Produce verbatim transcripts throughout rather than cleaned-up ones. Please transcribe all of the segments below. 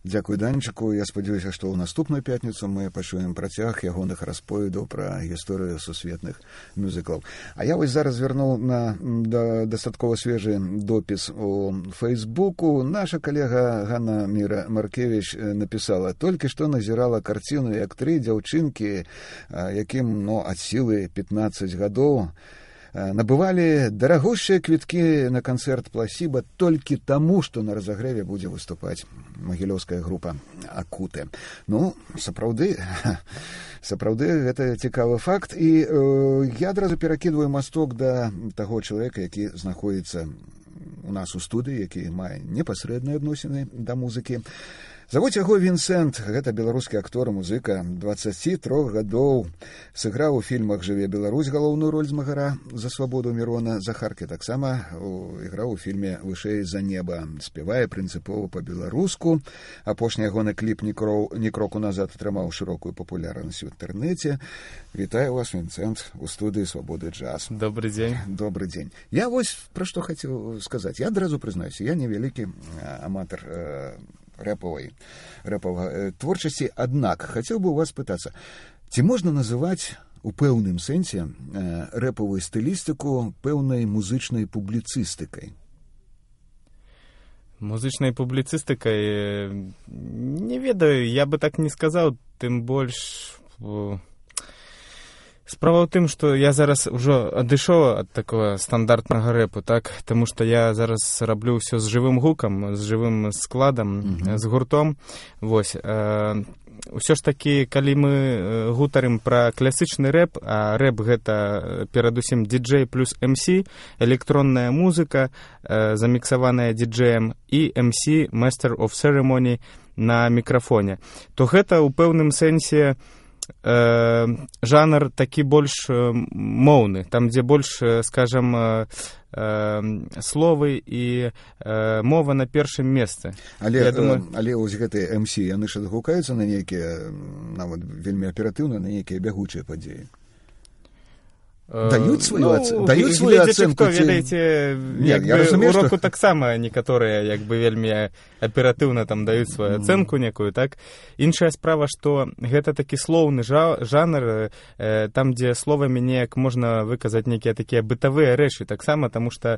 Дзякуй Данечку. Я спадзяюся, што ў наступную пятніцу мы пачуем працяг ягоных расповедаў пра гісторыю сусветных мюзіклаў. А я вось зараз вярнуў на да, дастаткова свежы допіс у Фейсбуку. Наша калега Ганна Міра Маркевіч напісала: «Толькі што назірала карціну, як тры дзяўчынкі, якім, ну, ад сілы пятнаццаць гадоў, набывалі дарагущыя квіткі на канцэрт Пласіба толькі таму, што на разагрэве будзе выступаць магілёўская група Акуты». Ну, сапраўды, сапраўды, гэта цікавы факт. І э, я адразу перакідваю масток да таго чалавека, які знаходзіцца у нас у студыі, які мае непасрэдныя адносіны да музыкі. Завуць яго Вінсент, гэта беларускі актор, музыка, дваццаці трох гадоў. Сыграў у фільмах «Жыве Беларусь» галоўную роль змагара за свабоду Мірона. Захаркі таксама іграў у фільме «Вышэй за неба». Спявае прынцыпова па-беларуску. Апошні ягоны кліп «Ні кроку назад» атрымаў шырокую папулярнасць у інтэрнэце. Вітаю вас, Вінсент, у студыі «Свабоды джаз». Добрый дзень. Добрый дзень. Я вось пра што хацеў сказаць. Я адразу прызнаюся, я невялікі аматар рэпавай рэпавай творчасці, аднак хацеў бы у вас пытацца, ці можна называць у пэўным сэнсе рэпавую стылістыку пэўнай музычнай публіцыстыкай? Музычнай публіцыстыкай не ведаю, я бы так не сказаў, тым больш справа ў тым, што я зараз ужо адышоў ад такого стандартнага рэпу, так, таму што я зараз раблю ўсё з жывым гукам, з жывым складам, mm-hmm. з гуртом. Вось. Э, ўсё ж такі, калі мы гутарым пра класічны рэп, а рэп гэта перадусім ди-джей плюс эм сі, электронная музыка, э, заміксаваная ди-джеем, і эм сі, Master of Ceremony, на мікрафоне, то гэта ў пэўным сэнсе Э, жанр такі больш моўны, там, дзе больш, скажам, э, э, словы і э, мова на першым месцы. Але, думаю... але ось гэтыя эм сі, яны ж адгукаюцца на нейкія, нават вельмі аператыўна, на нейкія бягучыя падзеі. Даюць сваю, ну, ац... даюць сваю ацэнку? Хто, ведаеце, як бы у року што... таксама некаторыя як бы вельмі аператыўна там даюць сваю ацэнку некую, так? Іншая справа, што гэта такі слоўны жа... жанр, э, там, дзе словамі неяк можна выказаць нейкія такія бытавыя рэчы, таксама, таму што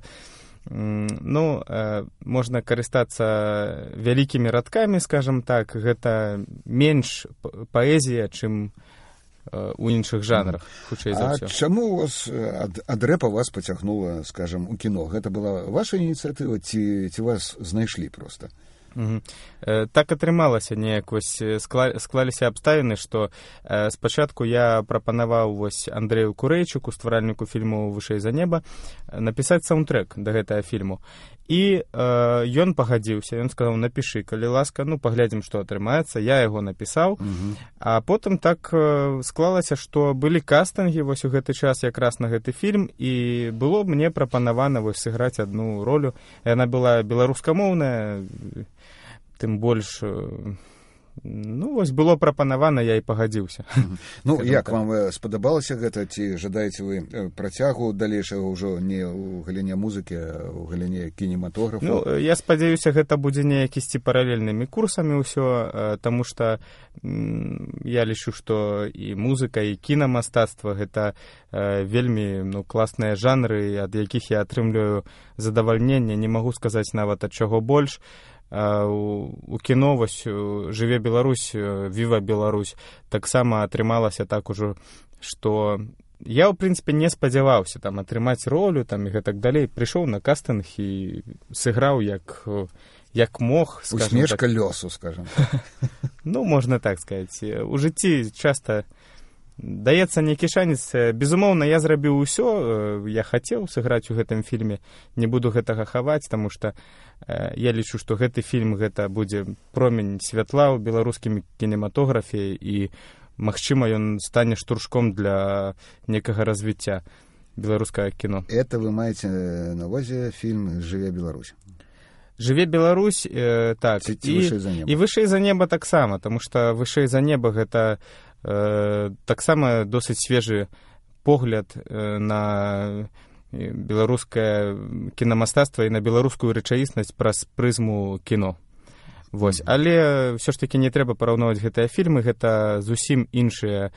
ну, э, можна карыстацца вялікімі радкамі, скажам так, гэта менш паэзія, чым у іншых жанрах, хутчэй за ўсё. А чаму у вас ад, ад рэпа вас пацягнула, скажам, у кіно? Гэта была ваша ініцыятыва, ці, ці вас знайшлі проста? Угу. Э, так атрымалася неяк, вось скла, склаліся абставіны, што э, спачатку я прапанаваў вось Андрэю Курэйчуку, стваральніку фільму «Вышэй за неба», напісаць саундтрэк да гэтага фільму. І э, ён пагадзіўся, ён сказаў: напішы, калі ласка, ну, паглядзім, што атрымаецца. Я яго напісаў, uh-huh. а потым так э, склалася, што былі кастынгі вось у гэты час якраз на гэты фільм, і было мне прапанавана вось сыграць адну ролю. Яна была беларускамоўная, тым больш... Ну, вось было прапанавана, я і пагадзіўся. Ну, як вам спадабалася гэта? Ці жадаеце вы працягу далейшага ўжо не ў галіне музыкі, а ў галіне кінематографу? Ну, я спадзяюся, гэта будзе неяк ісці паралельнымі курсамі ўсё, таму што я лічу, што і музыка, і кінамастацтва гэта вельмі, ну, класныя жанры, ад якіх я атрымліваю задавальненне, не магу сказаць нават ад чаго больш. А у, у кіно вось «Жыве Беларусь», «Віва Беларусь» таксама атрымалася так ужо, што я, ў прынцыпе, не спадзяваўся там атрымаць ролю там, і гэтак далей. Прыйшоў на кастынг і сыграў як, як мог. Усмешка так. Лёсу, скажам. Ну, можна так сказаць. У жыцці часта даецца нейкі шанец. Безумоўна, я зрабіў усё, я хацеў сыграць у гэтым фільме, не буду гэтага хаваць, таму што я лічу, што гэты фільм гэта будзе промень святла ў беларускім кінематографе, і магчыма ён стане штуршком для некага развіцця беларускага кіно. Это вы маеце на ўвазе фільм «Жыве Беларусь»? «Жыве Беларусь», э, так, ці, ці і, «Вышэй за неба». І «Вышэй за неба» таксама, таму што «Вышэй за неба» гэта э, таксама досыць свежы погляд э, на беларускае кінамастацтва і на беларускую рэчаіснасць праз прызму кіно. Вось. Але ўсё ж такі не трэба параўноўваць гэтыя фільмы, гэта зусім іншыя,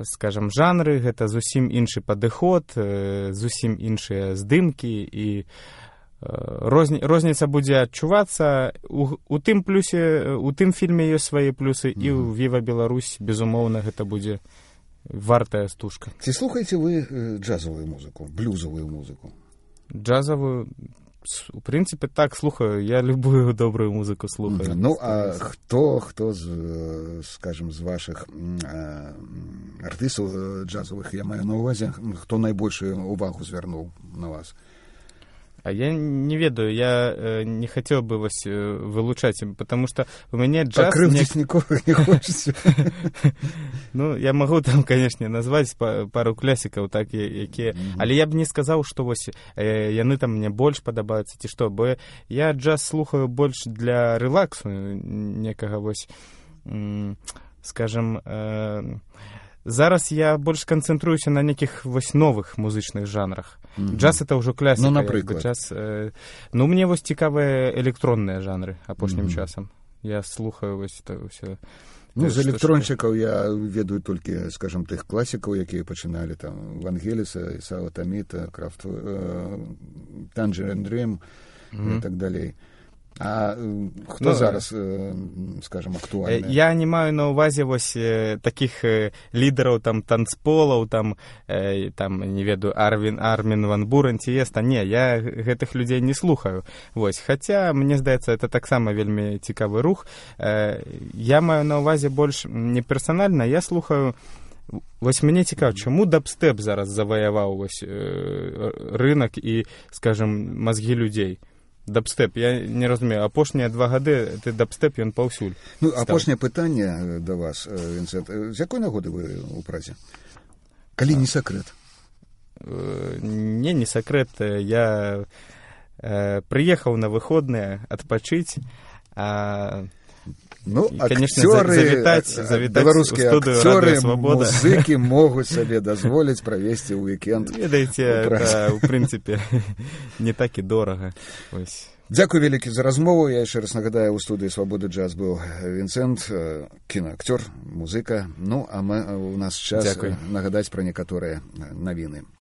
скажам, жанры, гэта зусім іншы падыход, зусім іншыя здымкі, і розні, розніца будзе адчувацца. У, у тым плюсе, у тым фільме ёсць свае плюсы, mm-hmm. і ў Віва Беларусь, безумоўна, гэта будзе вартая стужка. Ці слухаеце вы джазовую музыку, блюзовую музыку? Джазовую, у прынцыпе, так, слухаю. Я любую добрую музыку слухаю. Ну, а хто, хто з, скажем, з вашых э, артыстаў джазовых, я маю на увазе, хто найбольшую увагу звярнуў на вас? А я не ведаю, я э, не хотел бы вас э, вылучать, потому что у меня джаз... Покрывдзіць не... нікога не хочется. Ну, я могу там, конечно, назвать пару классиков, так, якія... Але я б не сказал, что вось, э, яны там мне больш падабаюцца, ці што, бо я джаз слухаю больш для релаксу некага, вось, скажем... Э, зараз я больш канцэнтруюся на некіх вось новых музычных жанрах. Mm-hmm. Джаз — это ўжо класіка. Ну, напрыклад. Джаз, э, ну, мне вось цікавыя электронныя жанры апошнім mm-hmm. часам. Я слухаю вось это ўсё. Ну, з электрончыкаў я ведаю толькі, скажем, тых класікаў, якія пачыналі там Вангеліса, Ісао Таміта, Крафт, э, Tangerine Dream mm-hmm. і так далей. А хто ну, зараз, скажем, актуальны? Я не маю на увазе вось такіх лідараў там танцполаў, там, там не ведаю, Арвін, Армін ван Бурен ці Еста. Не, я гэтых людзей не слухаю. Вось. Хаця, мне здаецца, это таксама вельмі цікавы рух. Я маю на увазе больш не персанальна, я слухаю. Вось мне цікава, чаму дабстэп зараз заваяваў вось рынак і, скажем, мазгі людзей? Дабстэп, я не разумею, апошнія два гады ты дабстэп, ён паўсюль. Ну, апошняе пытанне да вас, Вінцэнт. З якой нагоды вы ў празе? Калі не сакрэт? Не, не сакрэт. Я э, прыехаў на выходныя адпачыць, а ну, і, конечно, акцёры, завітаць, завітаць беларускія у студыю акцёры, Радыё Свабода. Музыкі могуць сабе дазволіць правесці ўікенд. Ведаеце, это, ў прынцыпе, не так і дорага. Ось. Дзякуй вялікі за размову. Я яшчэ раз нагадаю, у студыі Свабоды джаз быў Вінцэнт, кінаакцёр, музыка. Ну, а мы, у нас час Дзякуй. Нагадаць пра некаторыя навіны.